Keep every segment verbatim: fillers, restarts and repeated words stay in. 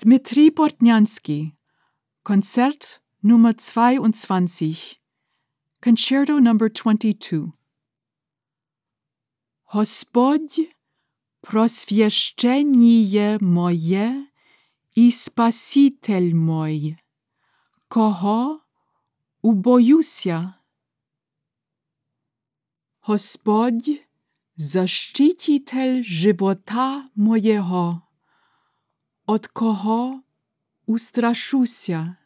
Dmitri Bortnyansky, Konzert Nummer zweiundzwanzig, Concerto number twenty-two. Господь, просвящение моє і Спаситель мой, кого убоюся? Господь, защититель живота моєго, от кого устрашуся?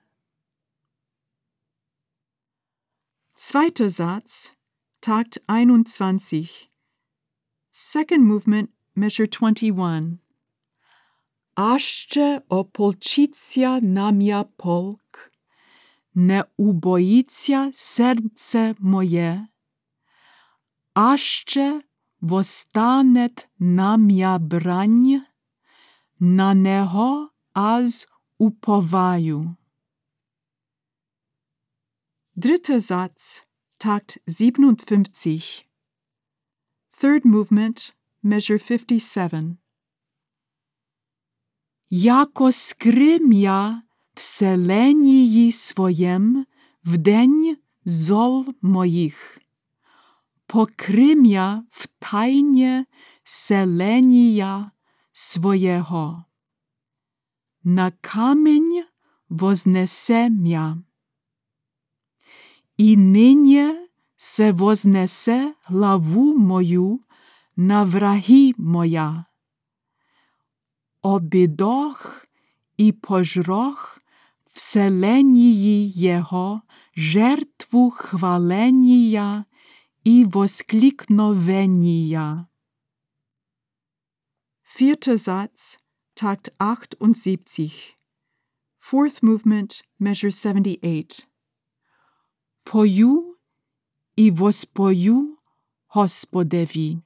Zweiter Satz, Takt einundzwanzig. Second movement, measure twenty-one. Аще ополчиться на м'я полк, не убоїться серце моє, аще востанет на м'я брань, на него аз уповаю. Dritter Satz, Takt siebenundfünfzig. Third movement, measure fifty-seven. Яко скрим'я в селенії своєм в день зол моїх, покрим'я в тайне селенія своєго, на камінь вознесе м'я. І нині се вознесе главу мою на враги моя. Обидох і пожрох в селенії його жертву хваления і воскликновения. Vierter Satz, Takt achtundsiebzig. Fourth movement, measure seventy-eight. Пою і воспою Господеві.